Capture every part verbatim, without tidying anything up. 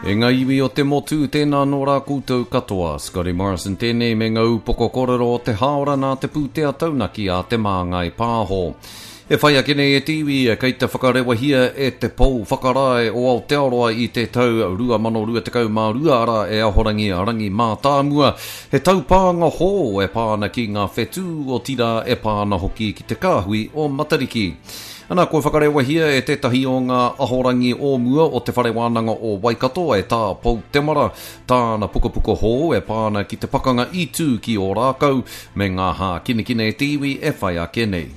E ngā iwi o te motu, tēnā nō rā koutou katoa. Scotty Morrison tēnei me ngā upoko kōrero o te hāora nā te pūtea taunaki a Te Māngai Pāho. E whai ake nei e te iwi, kei te whakarewahia e te Pou Whakarae o Aotearoa i te tau rua mano rua tekau mā rua arā e Ahorangi Rangi Mātāmua, he taupānga hou e pā ana ki ngā whetū, otirā e pā ana hoki ki te kāhui o Matariki. Ana, kua whakarewahia e tētahi o ngā ahorangi o mua o Te Whare Wānanga o Waikato e Tā Pou Temara tāna pukapuka hou e pā ana ki te pakanga i tū ki Ōrākau me ngā hākinakina e te iwi e whai ake nei.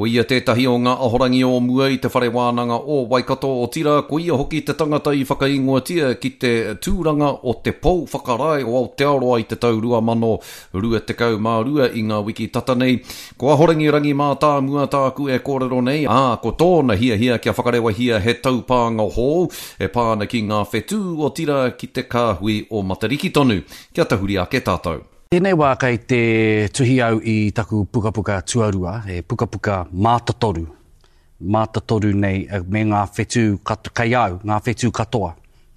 Ko ia tētahi o ngā ahorangi o mua i Te Whare Wānanga o Waikato, otirā, ko ia hoki te tangata i whakaingoatia ki te tūranga o te Pou Whakarae o Aotearoa i te tau rua mano rua tekau mā rua i ngā wiki tata nei. Ko Ahorangi Rangi Mātāmua tāku e kōrero nei, ā, ko tōna hiahia kia whakarewahia he taupānga hou e pā ana ki ngā whetū, otirā ki te kāhui o Matariki tonu. Kia tahuri ake tātou. Tēnei wā kei te tuhi au i taku pukapuka tuarua, he pukapuka mātotoru, mātotoru nei me ngā whetū kat-, kei au, ngā whetū katoa,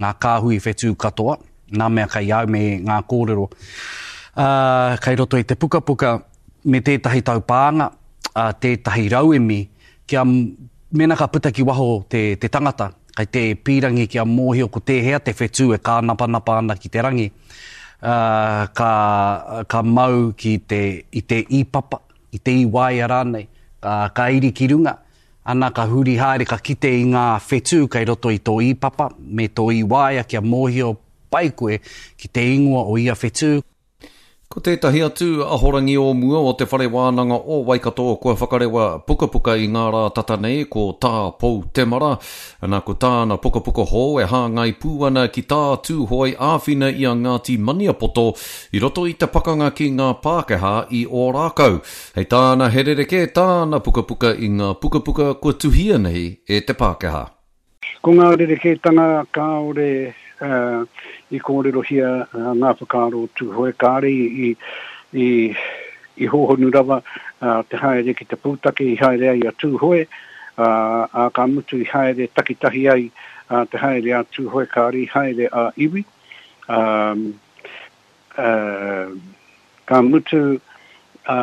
ngā kāhui whetū katoa, ngā mea kei au me ngā kōrero. Ā, kei roto i te pukapuka me tētahi taupānga, ā, tētahi rauemi, kia mēnā ka puta ki waho te, te tangata, kei te pīrangi kia mōhio ko tēhea te whetū e kānapanapa ana ki te rangi, ā, ka, ka mau ki te, i te īpapa, i te īwaea rānei, ka, ka iri ki runga, ana ka huri haere, ka kite i ngā whetū kei roto i tō īpapa me tō īwaea kia mōhio pai koe ki te ingoa o ia whetū. Ko tētahi atu ahorangi o mua o Te Whare Wānanga o Waikato kua whakarewa pukapuka i ngā rā tata nei, ko Tā Pou Temara. Ana, ko tāna pukapuka hou e hāngai pū ana ki tā Tūhoe āwhina i a Ngāti Maniapoto i roto i te pakanga ki ngā Pākehā i Ōrākau. Hei tāna, he rerekē tāna pukapuka i ngā pukapuka kua tuhia nei e te Pākehā. Ko ngā rerekētanga kāore, eh, i kōrerohia, eh, ngā whakaaro o Tūhoe, kāre i, i, i, i hōhonu rawa, eh, te haere ki te pūtake i haere ai a Tūhoe, ā, ā, ka mutu i haere takitahi ai, ā, te haere a Tūhoe, kāre i haere a iwi. Ā, ā, ka mutu, ā,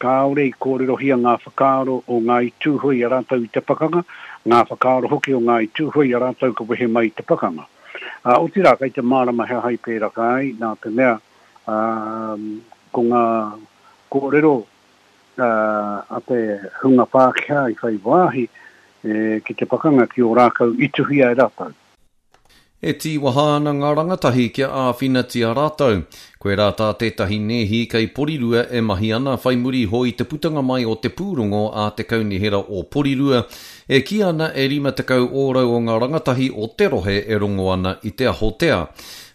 kāore i kōrerohia ngā whakaaro o Ngāi Tūhoe i a rātou i te pakanga, ngā whakaaro hoki o Ngāi Tūhoe i a rātou ka wehe mai i te pakanga. Ā, otirā, kei te mārama he aha i pēraka ai, nā te mea, ā, ko ngā kōrero, ā, a te hunga Pākehā i whai wāhi, e, ki te pakanga ki Ōrākau i tuhia e rātou. E tīwaha ana ngā rangatahi kia āwhinatia rātou. Koirā tā tētahi nēhi kei Porirua e mahi ana whai muri iho i te putanga mai o te pūrongo a te Kaunihera o Porirua, e kī ana e rima tekau ōrau o ngā rangatahi o te rohe e rongo ana i te ahotea.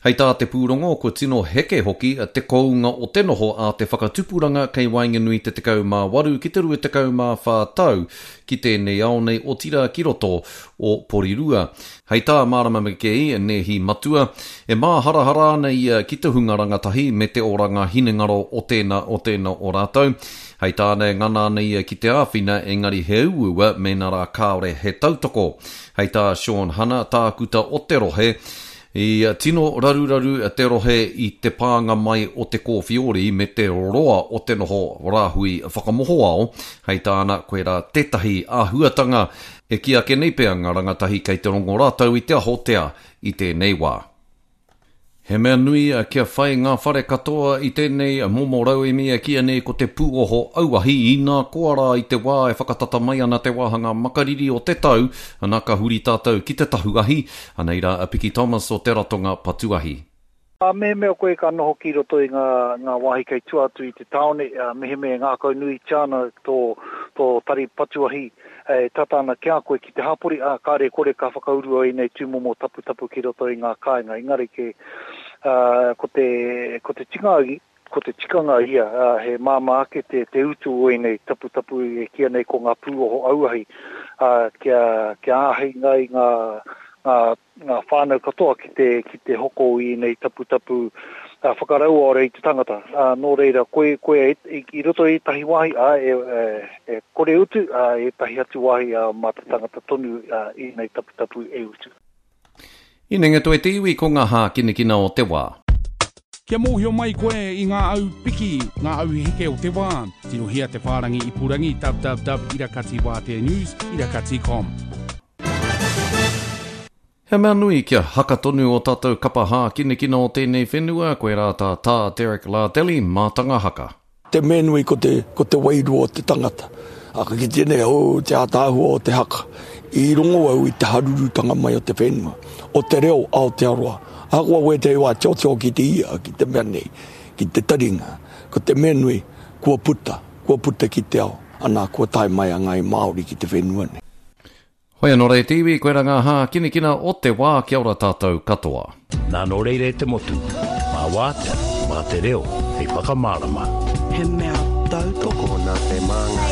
Hei tā te pūrongo, kua tino heke hoki te kounga o te noho a te whakatupuranga kei waenganui te tekau mā waru ki te rua tekau mā whā tau ki tēnei ao nei otirā ki roto o Porirua. Hei tā Marama McGee, nēhi matua, e māharahara ana ia ki te hunga rangatahi me te oranga hinengaro o tēnā o tēnā o rātou. Hei tāna e ngana ana ia ki te āwhina, engari he uaua mēnā rā kāore he tautoko. Hei tā Sean Hanna, tākuta o te rohe, i tino raruraru te rohe i te pānga mai o te kōwhiori me te roa o te noho rāhui whakamohoao. Hei tāna, koirā tētahi āhuatanga e kī ake nei pea ngā rangatahi kei te rongo rātou i te ahotea i tēnei wā. He mea nui kia whai ngā whare katoa i tēnei momo rauemi e kīia nei ko te pūoho auahi inā koa rā i te wā e whakatata mai ana te wāhanga makariri o te tau, ana ka huri tātou ki te tahu ahi, anei rā a Piki Thomas o te ratonga patu ahi. Ā, mehemea koe ka noho ki roto i ngā, ngā wāhi kei tua atu i te tāone, ā, mehemea e ngākau nuitia ana tō, tō tari patu ahi e tata ana ki a koe ki te hapori, ā, kāre kore ka whakaurua ēnei tūmomo taputapu ki roto i ngā kāinga. Engari ke, ā, ko te, ko te tikanga, ko te tikanga ia, ā, he māmā ake te, te utu o ēnei taputapu e kīia nei ko ngā pūoho auahi, ā, kia, kia āhei ai ngā, ngā, ngā whānau katoa ki te, ki te hoko i ēnei taputapu, ā, whakarauora i te tangata. Ā, nō reira, koe, koe e, i, i roto i ētahi wāhi, ā, e, e, e kore utu, ā, ētahi atu wāhi, ā, mā te tangata tonu, ā, ēnei taputapu e utu. Inenga toe te iwi ko ngā hākinakina o te wā. Kia mōhio mai koe i ngā au piki, ngā au heke o te wā. Tirohia te whārangi ipurangi www irakati wātea news irakati com. He mea nui kia haka tonu o tātou kapa hākinakina o tēnei whenua, koirā tā Tā Derek Lardelli mātanga haka. Te mea nui ko te, ko te wairua o te tangata. A ka kite nei, oh, te ātaahua o te haka. I rongo au i te harurutanga mai o te whenua, o te reo Aotearoa. Ahakoa wētehi wā tiotio ki te ia, ki te mea nei, ki te taringa. Ko te mea nui, kua puta, kua puta ki te ao, ana, kua tae mai a Ngāi Māori ki te whenua nei. Hoi anō rā e te iwi, koirā ngā hākinakina o te wā, kia ora tātou katoa. Nā nō reira e te motu, mā wātea, mā te reo, hei whakamārama. He mea tautoko. Tokona te māngai.